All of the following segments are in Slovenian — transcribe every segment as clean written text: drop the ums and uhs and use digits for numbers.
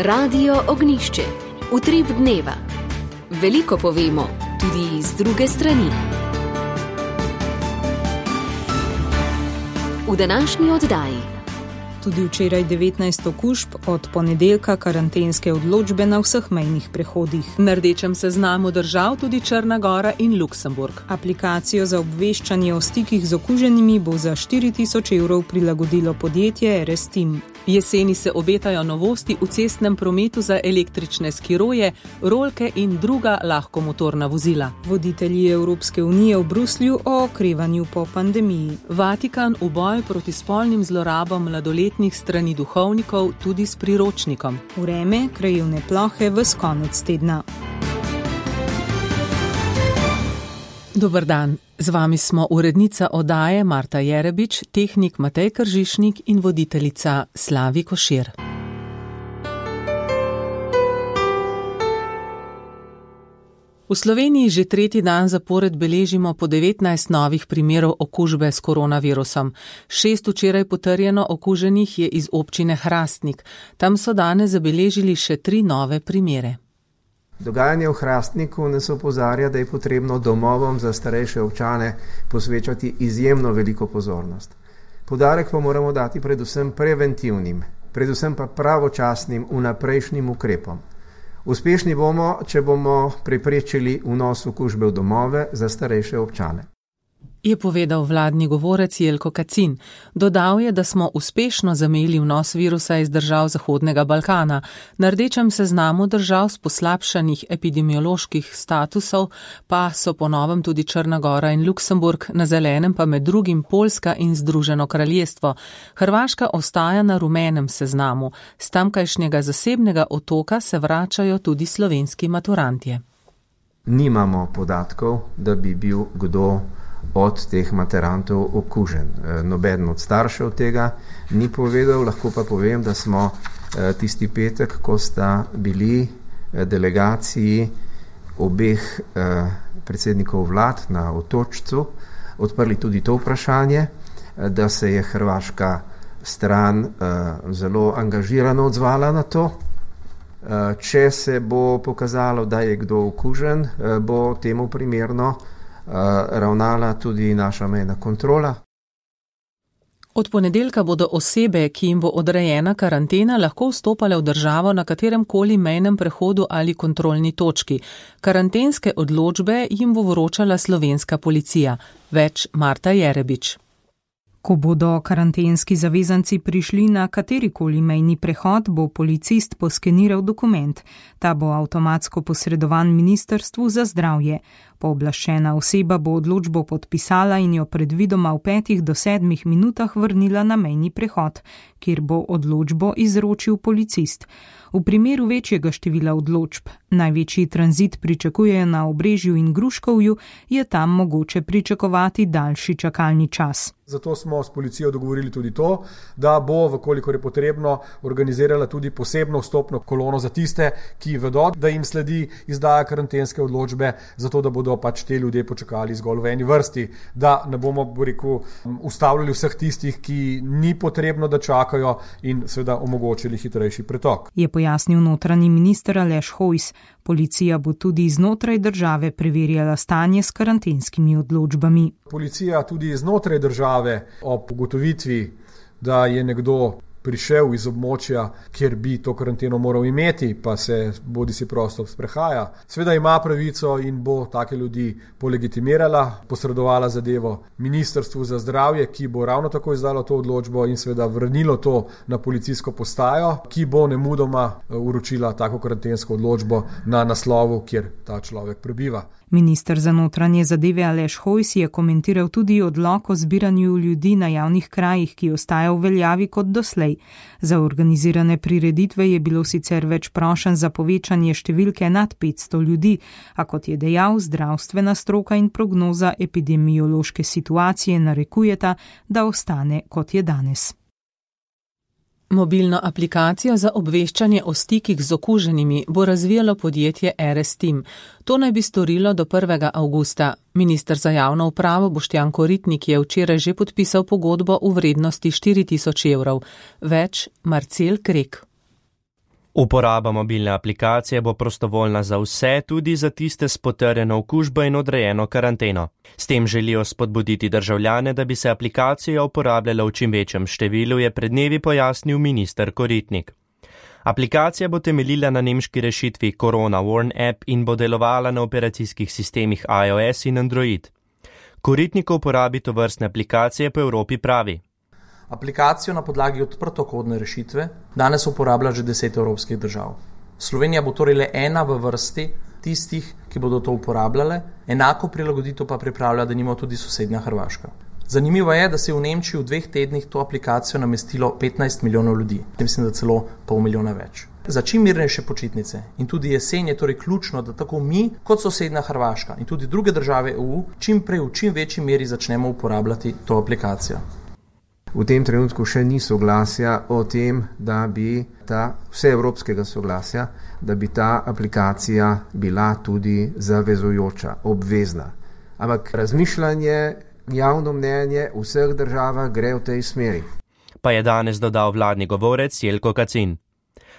Radio Ognjišče. Utrip dneva. Veliko povemo, tudi z druge strani. V današnji oddaji. Tudi včeraj 19 okužb, od ponedeljka karantenske odločbe na vseh mejnih prehodih. Na rdečem seznamu držav tudi Črna Gora in Luksemburg. Aplikacijo za obveščanje o stikih z okuženimi bo za 4.000 evrov prilagodilo podjetje RS-Team. Jeseni se obetajo novosti v cestnem prometu za električne skiroje, rolke in druga lahkomotorna vozila. Voditelji Evropske unije v Bruslju o okrevanju po pandemiji. Vatikan v boju proti spolnim zlorabam mladoletnih strani duhovnikov tudi s priročnikom. Vreme, krajevne plohe ves konec tedna. Dober dan, z vami smo urednica oddaje Marta Jerebič, tehnik Matej Kržišnik in voditeljica Slavi Košir. V Sloveniji že tretji dan zapored beležimo po 19 novih primerov okužbe s koronavirusom. 6 včeraj potrjeno okuženih je iz občine Hrastnik. Tam so danes zabeležili še 3 nove primere. Dogajanje v Hrastniku nas opozarja, da je potrebno domovom za starejše občane posvečati izjemno veliko pozornost. Poudarek pa moramo dati predvsem preventivnim, predvsem pa pravočasnim vnaprejšnjim ukrepom. Uspešni bomo, če bomo preprečili vnos okužbe v domove za starejše občane. Je povedal vladni govorec Jelko Kacin. Dodal je, da smo uspešno zamejili vnos virusa iz držav Zahodnega Balkana. Na rdečem seznamu držav s poslabšanih epidemioloških statusov pa so po novem tudi Črna Gora in Luksemburg, na zelenem pa med drugim Poljska in Združeno kraljestvo. Hrvaška ostaja na rumenem seznamu. S tamkajšnjega zasebnega otoka se vračajo tudi slovenski maturantje. Nimamo podatkov, da bi bil kdo od teh maturantov okužen. Nobeden od staršev tega ni povedal, lahko pa povem, da smo tisti petek, ko sta bili delegaciji obeh predsednikov vlad na Otočcu, odprli tudi to vprašanje, da se je hrvaška stran zelo angažirano odzvala na to. Če se bo pokazalo, da je kdo okužen, bo temu primerno ravnala tudi naša mejna kontrola. Od ponedeljka bodo osebe, ki jim bo odrejena karantena, lahko vstopale v državo na kateremkoli mejnem prehodu ali kontrolni točki. Karantenske odločbe jim bo vročala slovenska policija. Več Marta Jerebič. Ko bodo karantenski zavezanci prišli na katerikoli mejni prehod, bo policist poskeniral dokument. Ta bo avtomatsko posredovan Ministrstvu za zdravje. Pooblaščena oseba bo odločbo podpisala in jo predvidoma v 5 do 7 minutah vrnila na mejni prehod, kjer bo odločbo izročil policist. V primeru večjega števila odločb, največji tranzit pričakujejo na Obrežju in Gruškovju, je tam mogoče pričakovati daljši čakalni čas. Zato smo s policijo dogovorili tudi to, da bo, vkolikor je potrebno, organizirala tudi posebno vstopno kolono za tiste, ki vedo, da jim sledi izdaja karantenske odločbe, zato da bodo pač te ljudje počakali zgolj v eni vrsti, da ne bomo, ustavljali vseh tistih, ki ni potrebno, da čakajo, in seveda omogočili hitrejši pretok. Je pojasnil notranji minister Aleš Hojs. Policija bo tudi znotraj države preverjala stanje s karantenskimi odločbami. Policija tudi znotraj države ob ugotovitvi, da je nekdo prišel iz območja, kjer bi to karanteno moral imeti, pa se bodisi prosto sprehaja, seveda ima pravico in bo take ljudi polegitimirala, posredovala zadevo Ministrstvu za zdravje, ki bo ravno tako izdalo to odločbo in seveda vrnilo to na policijsko postajo, ki bo nemudoma uročila tako karantensko odločbo na naslovu, kjer ta človek prebiva. Minister za notranje zadeve Aleš Hojs je komentiral tudi odlok o zbiranju ljudi na javnih krajih, ki ostaja v veljavi kot doslej. Za organizirane prireditve je bilo sicer več prošenj za povečanje številke nad 500 ljudi, a kot je dejal, zdravstvena stroka in prognoza epidemiološke situacije narekujeta, da ostane kot je danes. Mobilno aplikacijo za obveščanje o stikih z okuženimi bo razvijalo podjetje RS-Team. To naj bi storilo do 1. avgusta. Minister za javno upravo Boštjan Koritnik je včeraj že podpisal pogodbo v vrednosti 4.000 evrov. Več Marcel Krek. Uporaba mobilne aplikacije bo prostovoljna za vse, tudi za tiste s potrjeno okužbo in odrejeno karanteno. S tem želijo spodbuditi državljane, da bi se aplikacija uporabljala v čim večjem številu, je pred dnevi pojasnil minister Koritnik. Aplikacija bo temeljila na nemški rešitvi Corona Warn App in bo delovala na operacijskih sistemih iOS in Android. Koritnik o uporabi tovrstne aplikacije po Evropi pravi. Aplikacijo na podlagi odprtokodne rešitve danes uporablja že 10 evropskih držav. Slovenija bo torej le ena v vrsti tistih, ki bodo to uporabljale, enako prilagoditev pa pripravlja denimo tudi sosednja Hrvaška. Zanimivo je, da se je v Nemčiji v 2 tednih to aplikacijo namestilo 15 milijonov ljudi, mislim, da celo pol milijona več. Za čim mirnejše počitnice in tudi jesen je torej ključno, da tako mi kot sosednja Hrvaška in tudi druge države EU čim prej v čim večji meri začnemo uporabljati to aplikacijo. V tem trenutku še ni soglasja o tem, da bi vseevropskega soglasja, da bi ta aplikacija bila tudi zavezujoča, obvezna. Ampak razmišljanje, javno mnenje v vseh državah gre v tej smeri. Pa je danes dodal vladni govorec Jelko Kacin.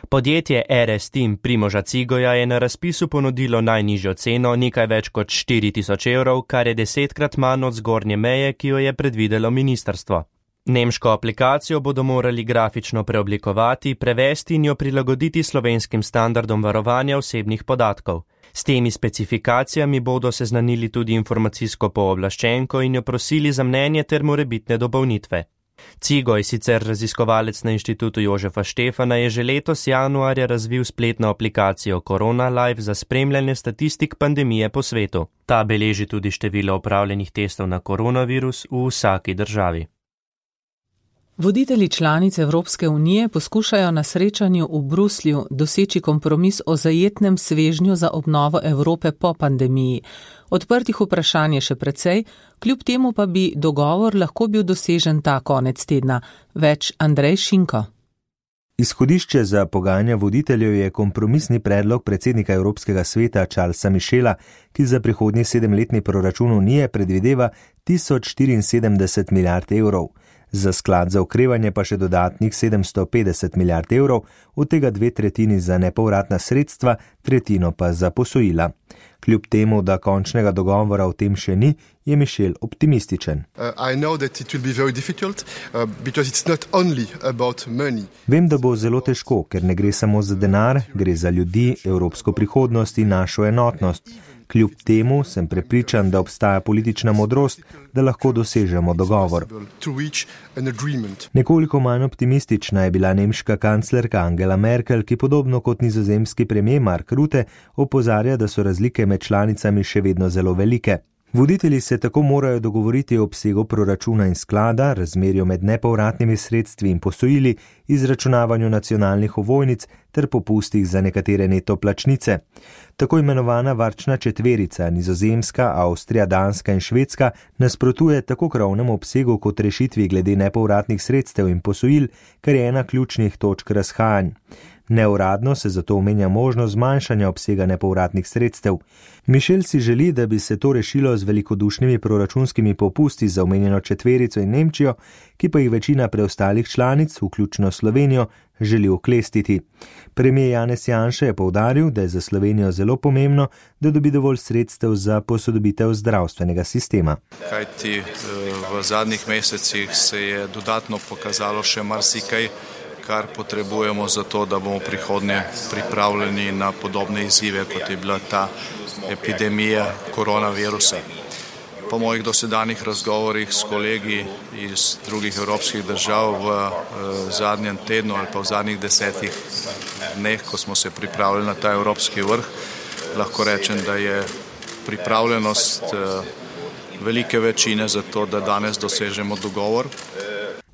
Podjetje RS Team Primoža Cigoja je na razpisu ponudilo najnižjo ceno, nekaj več kot 4.000 evrov, kar je 10-krat manj od zgornje meje, ki jo je predvidelo ministrstvo. Nemško aplikacijo bodo morali grafično preoblikovati, prevesti in jo prilagoditi slovenskim standardom varovanja osebnih podatkov. S temi specifikacijami bodo seznanili tudi informacijsko pooblaščenko in jo prosili za mnenje ter morebitne dopolnitve. Cigoj, sicer raziskovalec na inštitutu Jožefa Štefana, je že letos januarja razvil spletno aplikacijo Corona Live za spremljanje statistik pandemije po svetu. Ta beleži tudi število opravljenih testov na koronavirus v vsaki državi. Voditelji članic Evropske unije poskušajo na srečanju v Bruslju doseči kompromis o zajetnem svežnju za obnovo Evrope po pandemiji. Odprtih vprašanj je še precej, kljub temu pa bi dogovor lahko bil dosežen ta konec tedna. Več Andrej Šinko. Izhodišče za pogajanja voditeljev je kompromisni predlog predsednika Evropskega sveta Charlesa Michela, ki za prihodnji 7-letni proračun Unije predvideva 1074 milijard evrov. Za sklad za okrevanje pa še dodatnih 750 milijard evrov, od tega 2/3 za nepovratna sredstva, 1/3 pa za posojila. Kljub temu, da končnega dogovora o tem še ni, je Michel optimističen. Vem, da bo zelo težko, ker ne gre samo za denar, gre za ljudi, evropsko prihodnost in našo enotnost. Kljub temu sem prepričan, da obstaja politična modrost, da lahko dosežemo dogovor. Nekoliko manj optimistična je bila nemška kanclerka Angela Merkel, ki podobno kot nizozemski premier Mark Rutte opozarja, da so razlike med članicami še vedno zelo velike. Voditelji se tako morajo dogovoriti o obsegu proračuna in sklada, razmerju med nepovratnimi sredstvi in posojili, izračunavanju nacionalnih ovojnic ter popustih za nekatere neto plačnice. Tako imenovana varčna četverica, Nizozemska, Avstrija, Danska in Švedska, nasprotuje tako krovnemu obsegu kot rešitvi glede nepovratnih sredstev in posojil, kar je ena ključnih točk razhajanj. Neuradno se zato omenja možnost zmanjšanja obsega nepovratnih sredstev. Michel si želi, da bi se to rešilo z velikodušnimi proračunskimi popusti za omenjeno četverico in Nemčijo, ki pa jih večina preostalih članic, vključno Slovenijo, želi oklestiti. Premier Janez Janša je poudaril, da je za Slovenijo zelo pomembno, da dobi dovolj sredstev za posodobitev zdravstvenega sistema. Kajti v zadnjih mesecih se je dodatno pokazalo še marsikaj, kar potrebujemo za to, da bomo prihodnje pripravljeni na podobne izzive, kot je bila ta epidemija koronavirusa. Po mojih dosedanjih razgovorih s kolegi iz drugih evropskih držav v zadnjem tednu ali pa v zadnjih 10 dneh, ko smo se pripravljali na ta evropski vrh, lahko rečem, da je pripravljenost velike večine za to, da danes dosežemo dogovor.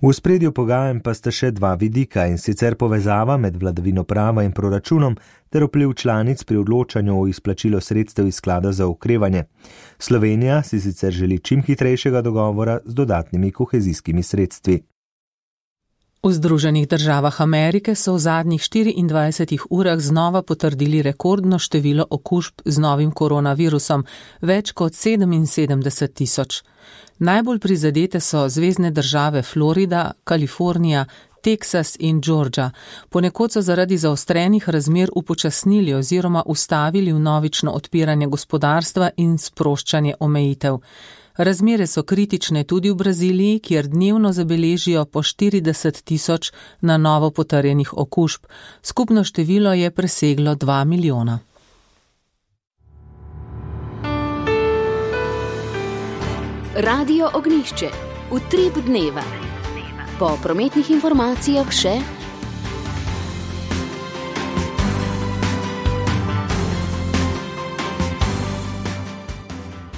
V ospredju pogajanj pa sta še dva vidika, in sicer povezava med vladavino prava in proračunom ter vpliv članic pri odločanju o izplačilu sredstev iz sklada za okrevanje. Slovenija si sicer želi čim hitrejšega dogovora z dodatnimi kohezijskimi sredstvi. V Združenih državah Amerike so v zadnjih 24 urah znova potrdili rekordno število okužb z novim koronavirusom, več kot 77 tisoč. Najbolj prizadete so zvezne države Florida, Kalifornija, Teksas in Georgia. Ponekod so zaradi zaostrenih razmer upočasnili oziroma ustavili vnovično odpiranje gospodarstva in sproščanje omejitev. Razmere so kritične tudi v Braziliji, kjer dnevno zabeležijo po 40.000 na novo potrjenih okužb. Skupno število je preseglo 2 milijona. Radio Ognjišče. Utrip dneva. Po prometnih informacijah še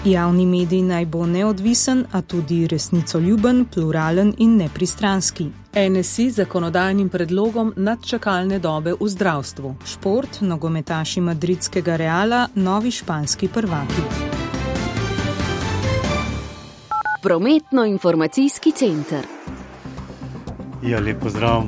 javni medij naj bo neodvisen, a tudi resnicoljuben, pluralen in nepristranski. NSI zakonodajnim predlogom nadčakalne dobe v zdravstvu. Šport, nogometaši madridskega Reala, novi španski prvaki. Prometno-informacijski center. Ja, lep pozdrav.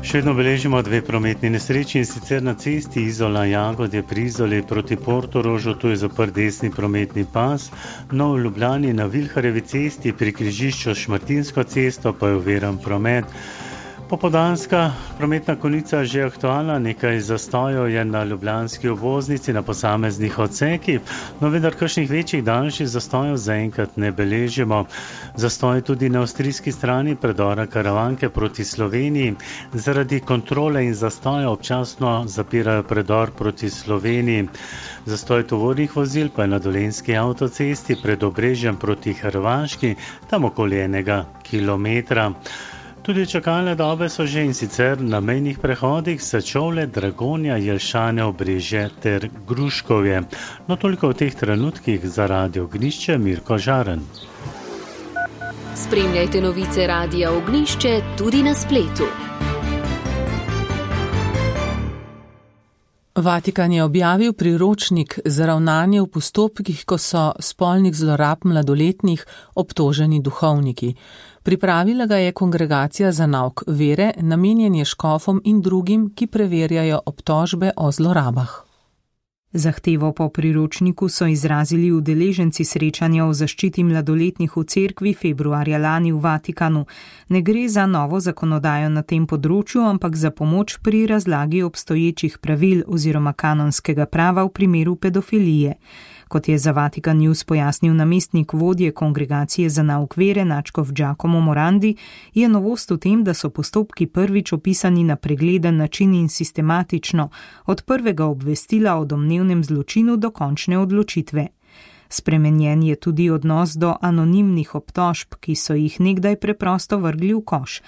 Še vedno beležimo 2 prometni nesreči, in sicer na cesti Izola-Jagodje pri Izoli proti Portorožu, tu je zaprt desni prometni pas, no v Ljubljani na Vilharjevi cesti pri križišču s Šmartinsko cesto pa je oviran promet. Popoldanska prometna konica že aktualna, nekaj zastojev je na ljubljanski obvoznici na posameznih odsekih, no vendar kakšnih večjih daljših zastojev zaenkrat ne beležimo. Zastoj tudi na avstrijski strani predora Karavanke proti Sloveniji. Zaradi kontrole in zastoja občasno zapirajo predor proti Sloveniji. Zastoj tovornih vozil pa je na Dolenjski avtocesti pred Obrežjem proti Hrvaški, tam okoli 1 kilometra. Tudi čakalne dobe so že, in sicer na mejnih prehodih Sečovlje, Dragonja, Jelšane, Obrežje ter Gruškovje. No toliko v teh trenutkih za Radio Ognjišče, Mirko Žaren. Spremljajte novice Radia Ognjišče tudi na spletu. Vatikan je objavil priročnik za ravnanje v postopkih, ko so spolnih zlorab mladoletnih obtoženi duhovniki. Pripravila ga je Kongregacija za nauk vere, namenjen je škofom in drugim, ki preverjajo obtožbe o zlorabah. Zahtevo po priročniku so izrazili udeleženci srečanja o zaščiti mladoletnih v cerkvi februarja lani v Vatikanu. Ne gre za novo zakonodajo na tem področju, ampak za pomoč pri razlagi obstoječih pravil oziroma kanonskega prava v primeru pedofilije. Kot je za Vatikan News pojasnil namestnik vodje Kongregacije za nauk vere nadškof Giacomo Morandi, je novost v tem, da so postopki prvič opisani na pregleden način in sistematično, od prvega obvestila o domnevnem zločinu do končne odločitve. Spremenjen je tudi odnos do anonimnih obtožb, ki so jih nekdaj preprosto vrgli v koš.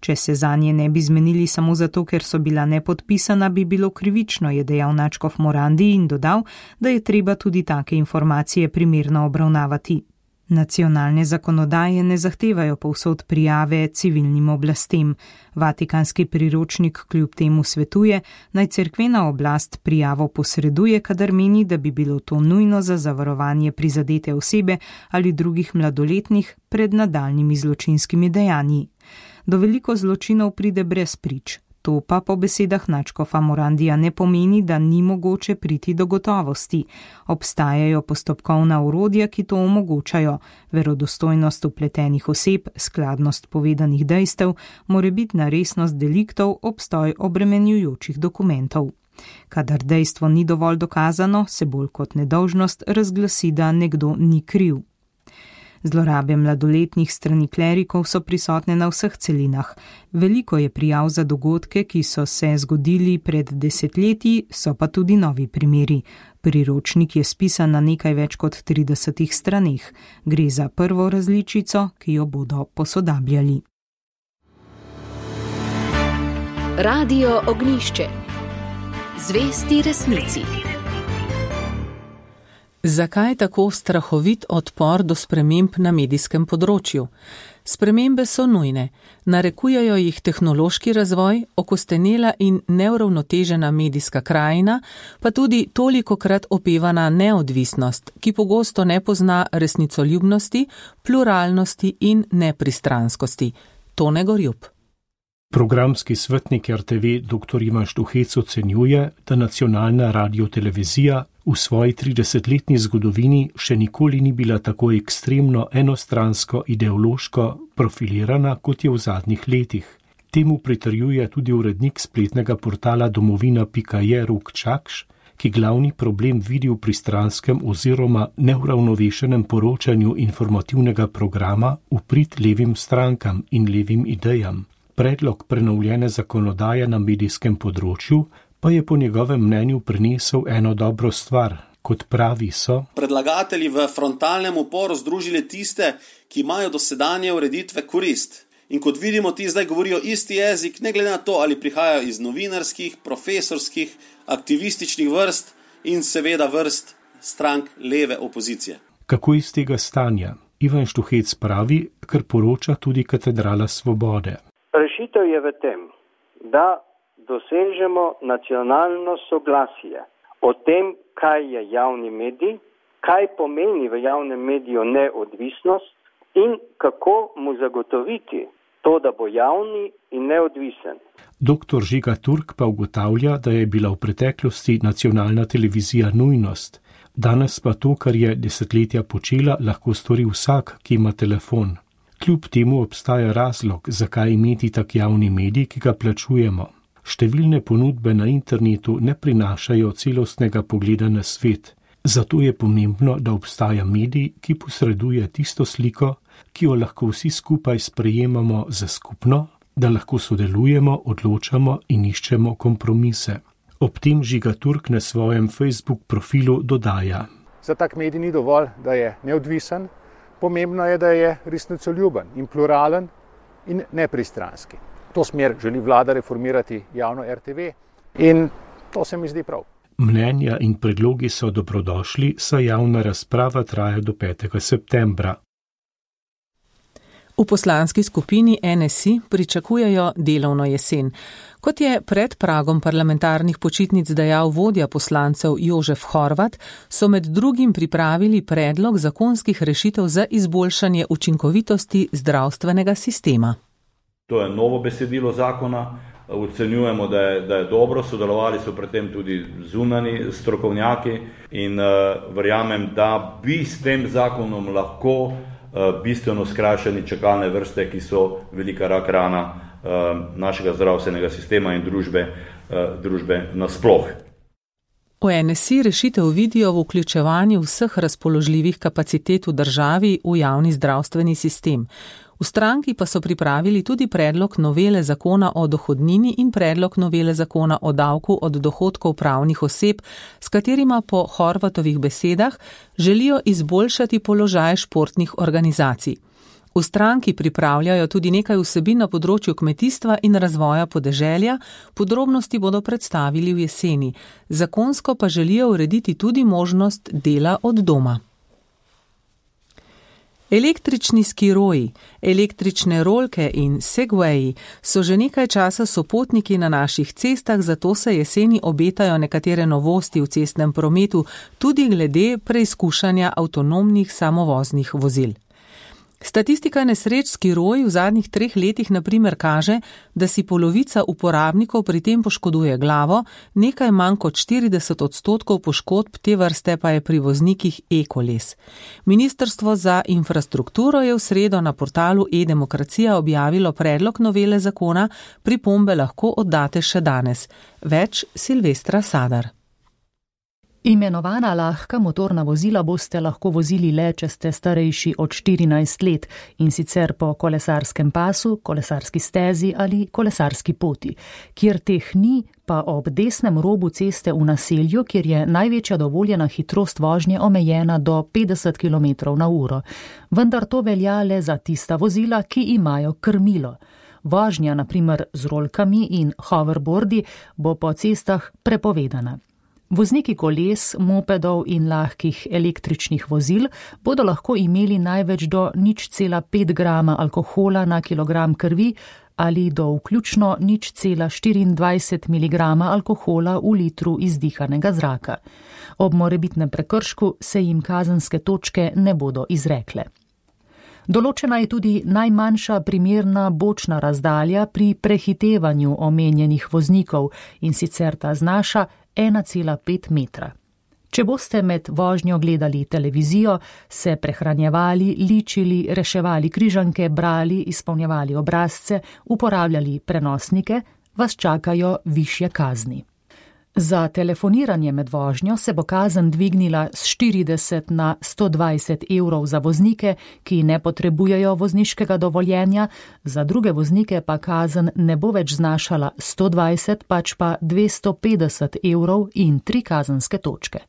Če se zanje ne bi zmenili samo zato, ker so bila nepodpisana, bi bilo krivično, je dejal nadškof Morandi in dodal, da je treba tudi take informacije primerno obravnavati. Nacionalne zakonodaje ne zahtevajo povsod prijave civilnim oblastem. Vatikanski priročnik kljub temu svetuje, naj cerkvena oblast prijavo posreduje, kadar meni, da bi bilo to nujno za zavarovanje prizadete osebe ali drugih mladoletnih pred nadaljnjimi zločinskimi dejanji. Do veliko zločinov pride brez prič. To pa po besedah nadškofa Morandija ne pomeni, da ni mogoče priti do gotovosti. Obstajajo postopkovna orodja, ki to omogočajo, verodostojnost vpletenih oseb, skladnost povedanih dejstev, morebitna resnost deliktov, obstoj obremenjujočih dokumentov. Kadar dejstvo ni dovolj dokazano, se bolj kot nedolžnost razglasi, da nekdo ni kriv. Zlorabe mladoletnih strani klerikov so prisotne na vseh celinah. Veliko je prijav za dogodke, ki so se zgodili pred desetletji, so pa tudi novi primeri. Priročnik je spisan na nekaj več kot 30 straneh. Gre za prvo različico, ki jo bodo posodabljali. Radio Ognjišče. Zvesti resnici. Zakaj tako strahovit odpor do sprememb na medijskem področju? Spremembe so nujne, narekujejo jih tehnološki razvoj, okostenela in neuravnotežena medijska krajina, pa tudi tolikokrat opevana neodvisnost, ki pogosto ne pozna resnicoljubnosti, pluralnosti in nepristranskosti. Tone Gorjup. Programski svetnik RTV dr. Ivan Štuhec ocenjuje, da nacionalna radiotelevizija v svoji 30-letni zgodovini še nikoli ni bila tako ekstremno enostransko ideološko profilirana, kot je v zadnjih letih. Temu pritrjuje tudi urednik spletnega portala domovina.je Rok Čakš, ki glavni problem vidi v pristranskem oziroma neuravnovešenem poročanju informativnega programa v prid levim strankam in levim idejam. Predlog prenovljene zakonodaje na medijskem področju pa je po njegovem mnenju prinesel eno dobro stvar. Kot pravi, so predlagatelji v frontalnem uporu združili tiste, ki imajo dosedanje ureditve korist. In kot vidimo, ti zdaj govorijo isti jezik, ne glede na to, ali prihajajo iz novinarskih, profesorskih, aktivističnih vrst in seveda vrst strank leve opozicije. Kako iz tega stanja? Ivan Štuhec pravi, kar poroča tudi Katedrala Svobode. Rešitev je v tem, da dosežemo nacionalno soglasje o tem, kaj je javni medij, kaj pomeni v javnem mediju neodvisnost in kako mu zagotoviti to, da bo javni in neodvisen. Dr. Žiga Turk pa ugotavlja, da je bila v preteklosti nacionalna televizija nujnost. Danes pa to, kar je desetletja počela, lahko stori vsak, ki ima telefon. Kljub temu obstaja razlog, zakaj imeti tak javni medij, ki ga plačujemo. Številne ponudbe na internetu ne prinašajo celostnega pogleda na svet. Zato je pomembno, da obstaja medij, ki posreduje tisto sliko, ki jo lahko vsi skupaj sprejemamo za skupno, da lahko sodelujemo, odločamo in iščemo kompromise. Ob tem Žiga Turk na svojem Facebook profilu dodaja. Za tak medij ni dovolj, da je neodvisen, pomembno je, da je resnicoljuben in pluralen in nepristranski. To smer želi vlada reformirati javno RTV in to se mi zdi prav. Mnenja in predlogi so dobrodošli, saj javna razprava traja do 5. septembra. V poslanski skupini NSI pričakujejo delovno jesen. Kot je pred pragom parlamentarnih počitnic dejal vodja poslancev Jožef Horvat, so med drugim pripravili predlog zakonskih rešitev za izboljšanje učinkovitosti zdravstvenega sistema. To je novo besedilo zakona, ocenjujemo, da je dobro, sodelovali so pri tem tudi zunani strokovnjaki in verjamem, da bi s tem zakonom lahko bistveno skrajšani čakalne vrste, ki so velika rak rana našega zdravstvenega sistema in družbe nasploh. V NSI rešitev vidijo v vključevanju vseh razpoložljivih kapacitet v državi v javni zdravstveni sistem. V stranki pa so pripravili tudi predlog novele zakona o dohodnini in predlog novele zakona o davku od dohodkov pravnih oseb, s katerima po Horvatovih besedah želijo izboljšati položaj športnih organizacij. V stranki pripravljajo tudi nekaj vsebin na področju kmetijstva in razvoja podeželja, podrobnosti bodo predstavili v jeseni. Zakonsko pa želijo urediti tudi možnost dela od doma. Električni skiroji, električne rolke in segwayi so že nekaj časa sopotniki na naših cestah, zato se jeseni obetajo nekatere novosti v cestnem prometu, tudi glede preizkušanja avtonomnih samovoznih vozil. Statistika nesreč skiroji v zadnjih 3 letih na primer kaže, da si polovica uporabnikov pri tem poškoduje glavo, nekaj manj kot 40% poškodb te vrste pa je pri voznikih e-koles. Ministrstvo za infrastrukturo je v sredo na portalu e-demokracija objavilo predlog novele zakona, pripombe lahko oddate še danes. Več Silvestra Sadar. Imenovana lahka motorna vozila boste lahko vozili le, če ste starejši od 14 let in sicer po kolesarskem pasu, kolesarski stezi ali kolesarski poti. Kjer teh ni, pa ob desnem robu ceste v naselju, kjer je največja dovoljena hitrost vožnje omejena do 50 km/h. Vendar to velja le za tista vozila, ki imajo krmilo. Vožnja, na primer z rolkami in hoverboardi, bo po cestah prepovedana. Vozniki koles, mopedov in lahkih električnih vozil bodo lahko imeli največ do 0,5 grama alkohola na kilogram krvi ali do vključno 0,24 mg alkohola v litru izdihanega zraka. Ob morebitnem prekršku se jim kazenske točke ne bodo izrekle. Določena je tudi najmanjša primerna bočna razdalja pri prehitevanju omenjenih voznikov in sicer ta znaša 1,5 metra. Če boste med vožnjo gledali televizijo, se prehranjevali, ličili, reševali križanke, brali, izpolnjevali obrazce, uporabljali prenosnike, vas čakajo višje kazni. Za telefoniranje med vožnjo se bo kazen dvignila z 40 na 120 evrov za voznike, ki ne potrebujejo vozniškega dovoljenja, za druge voznike pa kazen ne bo več znašala 120, pač pa 250 evrov in 3 kazenske točke.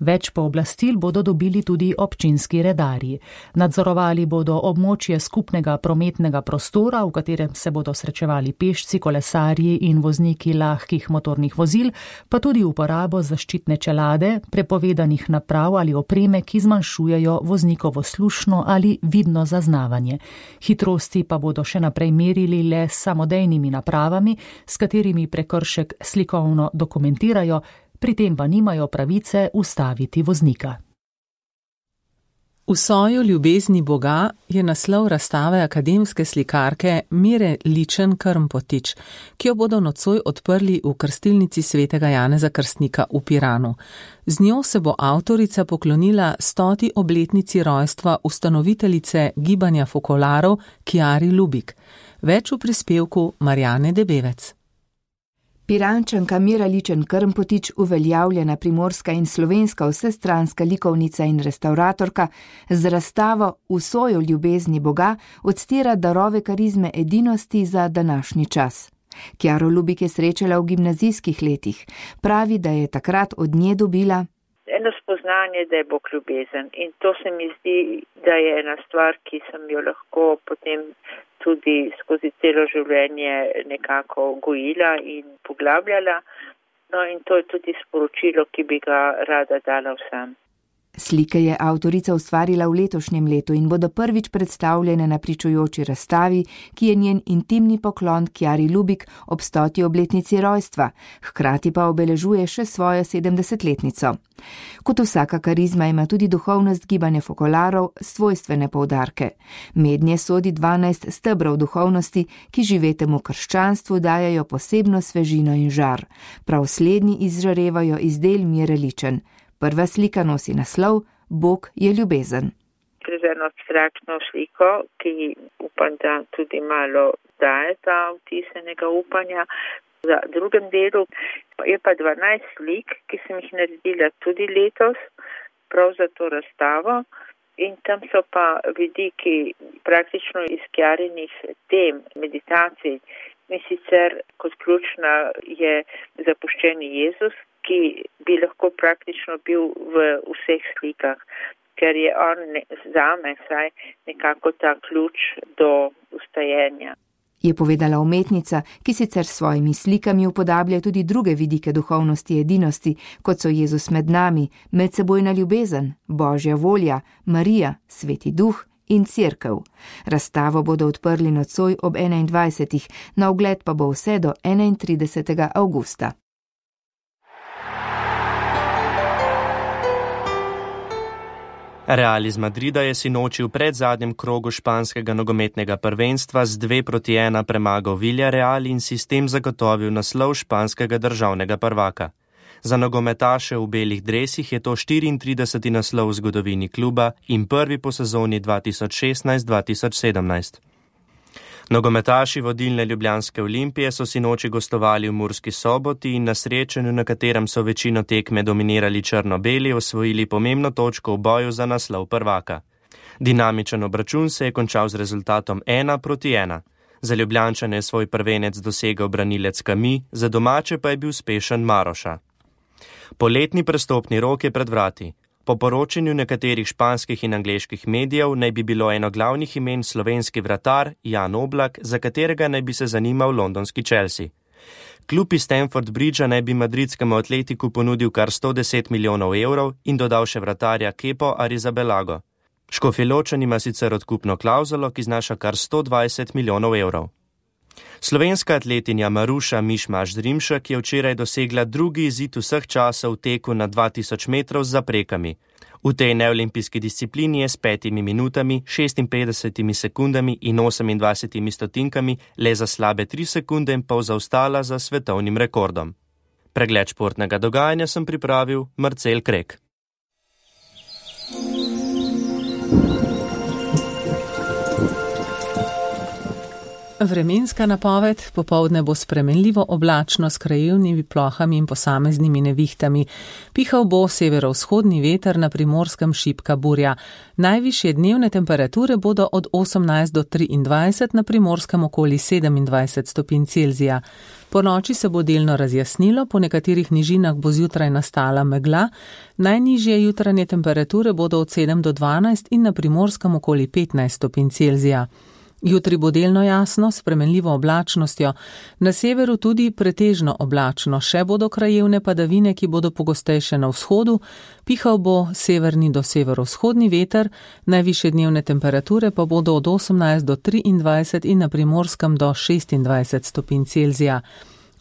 Več pooblastil bodo dobili tudi občinski redarji. Nadzorovali bodo območje skupnega prometnega prostora, v katerem se bodo srečevali pešci, kolesarji in vozniki lahkih motornih vozil, pa tudi uporabo zaščitne čelade, prepovedanih naprav ali opreme, ki zmanjšujejo voznikovo slušno ali vidno zaznavanje. Hitrosti pa bodo še naprej merili le s samodejnimi napravami, s katerimi prekršek slikovno dokumentirajo, pri tem pa nimajo pravice ustaviti voznika. V soju ljubezni Boga je naslov razstave akademske slikarke Mire Ličen-Krmpotič, ki jo bodo nocoj odprli v krstilnici svetega Janeza Krstnika v Piranu. Z njo se bo avtorica poklonila 100. obletnici rojstva ustanoviteljice gibanja fokolarov Kjari Lubik. Več v prispevku Marjane Debevec. Pirančanka Mira Ličen-Krmpotič, uveljavljena primorska in slovenska vsestranska likovnica in restauratorka, z razstavo V soju ljubezni Boga odstira darove karizme edinosti za današnji čas. Kjaro Lubik je srečala v gimnazijskih letih. Pravi, da je takrat od nje dobila eno spoznanje, da je Bog ljubezen. In to se mi zdi, da je ena stvar, ki sem jo lahko potem tudi skozi celo življenje nekako gojila in poglabljala. No in to je tudi sporočilo, ki bi ga rada dala vsem. Slike je avtorica ustvarila v letošnjem letu in bodo prvič predstavljene na pričujoči razstavi, ki je njen intimni poklon Kjari Lubik ob 100. obletnici rojstva, hkrati pa obeležuje še svojo 70-letnico. Kot vsaka karizma ima tudi duhovnost gibanja fokolarov svojstvene poudarke. Mednje sodi 12 stebrov duhovnosti, ki živetemu krščanstvu dajajo posebno svežino in žar. Prav slednji izžarevajo iz del Mire Ličen. Prva slika nosi naslov Bog je ljubezen. Gre za eno abstraktno sliko, ki upam, da tudi malo daje ta vtisenega upanja. Za drugem delu je pa 12 slik, ki sem jih naredila tudi letos, prav za to razstavo. In tam so pa vidiki praktično iz Kjarinih tem, meditacij. In sicer kot ključna je zapuščeni Jezus, ki bi lahko praktično bil v vseh slikah, ker je on zame saj nekako ta ključ do ustajenja. Je povedala umetnica, ki sicer s svojimi slikami upodablja tudi druge vidike duhovnosti edinosti, kot so Jezus med nami, medsebojna ljubezen, Božja volja, Marija, Sveti Duh in Cerkev. Razstavo bodo odprli nocoj ob 21. Na ogled pa bo vse do 31. avgusta. Real iz Madrida je sinoči v predzadnjem krogu španskega nogometnega prvenstva z 2-1 premagal Villarreal in si s tem zagotovil naslov španskega državnega prvaka. Za nogometaše v belih dresih je to 34. naslov v zgodovini kluba in prvi po sezoni 2016-2017. Nogometaši vodilne ljubljanske Olimpije so sinoči gostovali v Murski Soboti in na srečanju, na katerem so večino tekme dominirali črno-beli, osvojili pomembno točko v boju za naslov prvaka. Dinamičen obračun se je končal z rezultatom 1-1. Za Ljubljančane je svoj prvenec dosegel branilec Kami, za domače pa je bil uspešen Maroša. Poletni prestopni rok je pred vrati. Po poročanju nekaterih španskih in angleških medijev naj bi bilo eno glavnih imen slovenski vratar Jan Oblak, za katerega naj bi se zanimal londonski Chelsea. Klub iz Stamford Bridgea naj bi madridskemu Atletiku ponudil kar 110 milijonov evrov in dodal še vratarja Kepo Arrizabalago. Škofjeločan ima sicer odkupno klavzulo, ki znaša kar 120 milijonov evrov. Slovenska atletinja Maruša Mišmaš-Drimšek je včeraj dosegla drugi izid vseh časov v teku na 2000 metrov z zaprekami. V tej neolimpijski disciplini je s 5 minutami, 56 sekundami in 28 stotinkami le za slabe 3 sekunde in pol zaostala za svetovnim rekordom. Pregled športnega dogajanja sem pripravil Marcel Krek. Vremenska napoved: popoldne bo spremenljivo oblačno s krajevnimi plohami in posameznimi nevihtami. Pihal bo severovzhodni veter, na Primorskem šibka burja. Najvišje dnevne temperature bodo od 18 do 23, na Primorskem okoli 27 stopinj Celzija. Po noči se bo delno razjasnilo, po nekaterih nižinah bo zjutraj nastala megla. Najnižje jutranje temperature bodo od 7 do 12 in na Primorskem okoli 15 stopinj Celzija. Jutri bo delno jasno, s spremenljivo oblačnostjo, na severu tudi pretežno oblačno, še bodo krajevne padavine, ki bodo pogostejše na vzhodu, pihal bo severni do severovzhodni veter, najvišje dnevne temperature pa bodo od 18 do 23 in na Primorskem do 26 stopinj Celzija.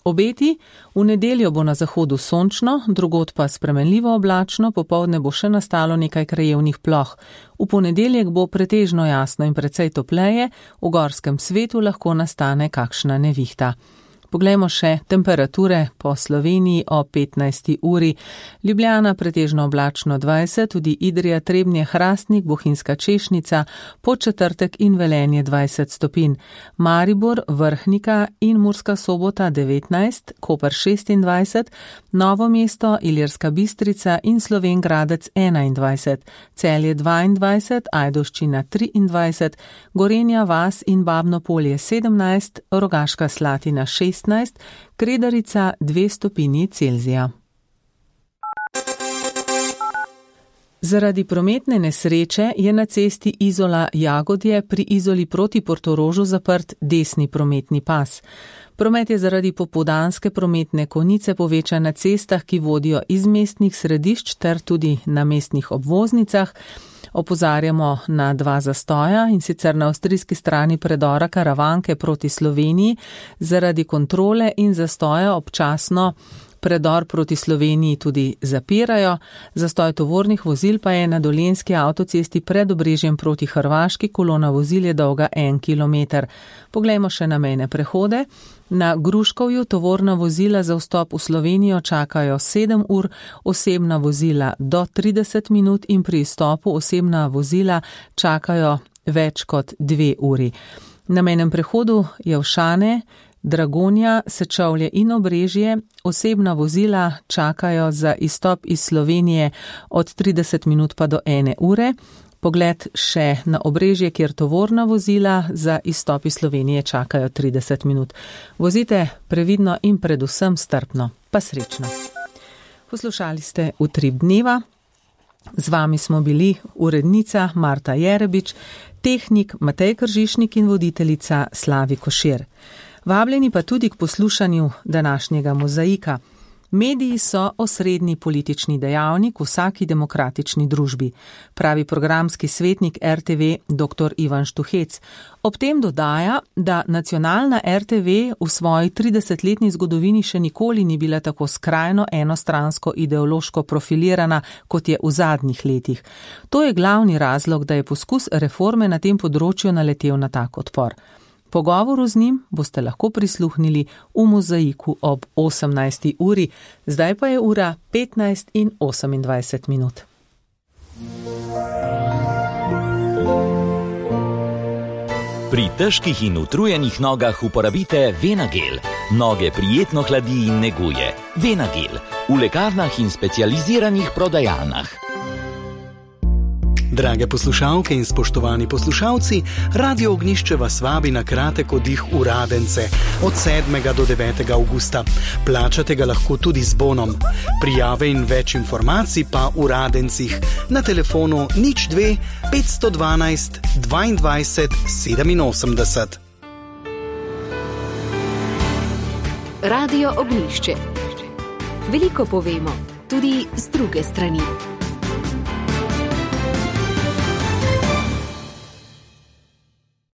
Obeti: v nedeljo bo na zahodu sončno, drugod pa spremenljivo oblačno, popoldne bo še nastalo nekaj krajevnih ploh. V ponedeljek bo pretežno jasno in precej topleje, v gorskem svetu lahko nastane kakšna nevihta. Poglejmo še temperature po Sloveniji o 15. uri. Ljubljana pretežno oblačno 20, tudi Idrija, Trebnje, Hrastnik, Bohinjska Češnica, Podčetrtek in Velenje 20 stopinj. Maribor, Vrhnika in Murska Sobota 19, Koper 26, Novo mesto, Ilirska Bistrica in Slovenj Gradec 21, Celje 22, Ajdovščina 23, Gorenja vas in Babno Polje 17, Rogaška Slatina 16, Kredarica 2 stopinji Celzija. Zaradi prometne nesreče je na cesti Izola-Jagodje pri Izoli proti Portorožu zaprt desni prometni pas. Promet je zaradi popoldanske prometne konice povečan na cestah, ki vodijo iz mestnih središč ter tudi na mestnih obvoznicah. Opozarjamo na 2 zastoja, in sicer na avstrijski strani predora Karavanke proti Sloveniji zaradi kontrole in zastoja občasno predor proti Sloveniji tudi zapirajo. Zastoj tovornih vozil pa je na Dolenjski avtocesti pred Obrežjem proti Hrvaški, kolona vozil je dolga 1 kilometer. Poglejmo še na mejne prehode. Na Gruškovju tovorna vozila za vstop v Slovenijo čakajo 7 ur, osebna vozila do 30 minut in pri izstopu osebna vozila čakajo več kot 2 uri. Na mejnem prehodu Javšane, Dragonja, Sečovlje in Obrežje osebna vozila čakajo za izstop iz Slovenije od 30 minut pa do 1 ure. Pogled še na Obrežje, kjer tovorna vozila za izstop iz Slovenije čakajo 30 minut. Vozite previdno in predvsem strpno, pa srečno. Poslušali ste Utrip dneva. Z vami smo bili urednica Marta Jerebič, tehnik Matej Kržišnik in voditeljica Slavi Košir. Vabljeni pa tudi k poslušanju današnjega Mozaika. Mediji so osrednji politični dejavnik v vsaki demokratični družbi, pravi programski svetnik RTV dr. Ivan Štuhec. Ob tem dodaja, da nacionalna RTV v svoji 30-letni zgodovini še nikoli ni bila tako skrajno enostransko ideološko profilirana, kot je v zadnjih letih. To je glavni razlog, da je poskus reforme na tem področju naletel na tak odpor. Pogovoru z njim boste lahko prisluhnili v Mozaiku ob 18. uri, zdaj pa je ura 15 in 28 minut. Pri težkih in utrujenih nogah uporabite Venagel. Noge prijetno hladi in neguje. Venagel v lekarnah in specializiranih prodajalnah. Drage poslušalke in spoštovani poslušalci, Radio Ognjišče vas vabi na kratek oddih v Radence od 7. do 9. avgusta. Plačate ga lahko tudi z bonom. Prijave in več informacij pa v Radencih na telefonu 02 512 22 87. Radio Ognjišče. Veliko povemo, tudi z druge strani.